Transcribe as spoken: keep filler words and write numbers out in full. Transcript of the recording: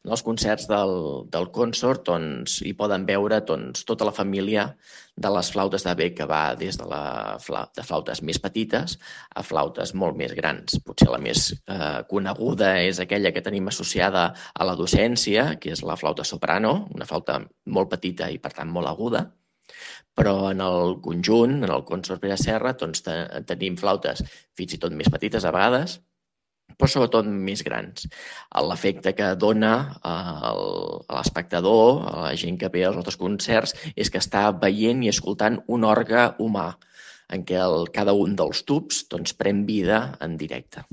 En els concerts del, del Consort doncs, hi poden veure doncs, tota la família de les flautes de bec, que va des de, la, de flautes més petites a flautes molt més grans. Potser la més eh, coneguda és aquella que tenim associada a la docència, que és la flauta soprano, una flauta molt petita i per tant molt aguda, però en el conjunt, en el Consort Pere Serra, doncs, te, tenim flautes fins i tot més petites a vegades, però sobretot més grans. L'efecte que dona a l'espectador, a la gent que ve als nostres concerts, és que està veient i escoltant un òrgan humà en què el, cada un dels tubs doncs, pren vida en directe.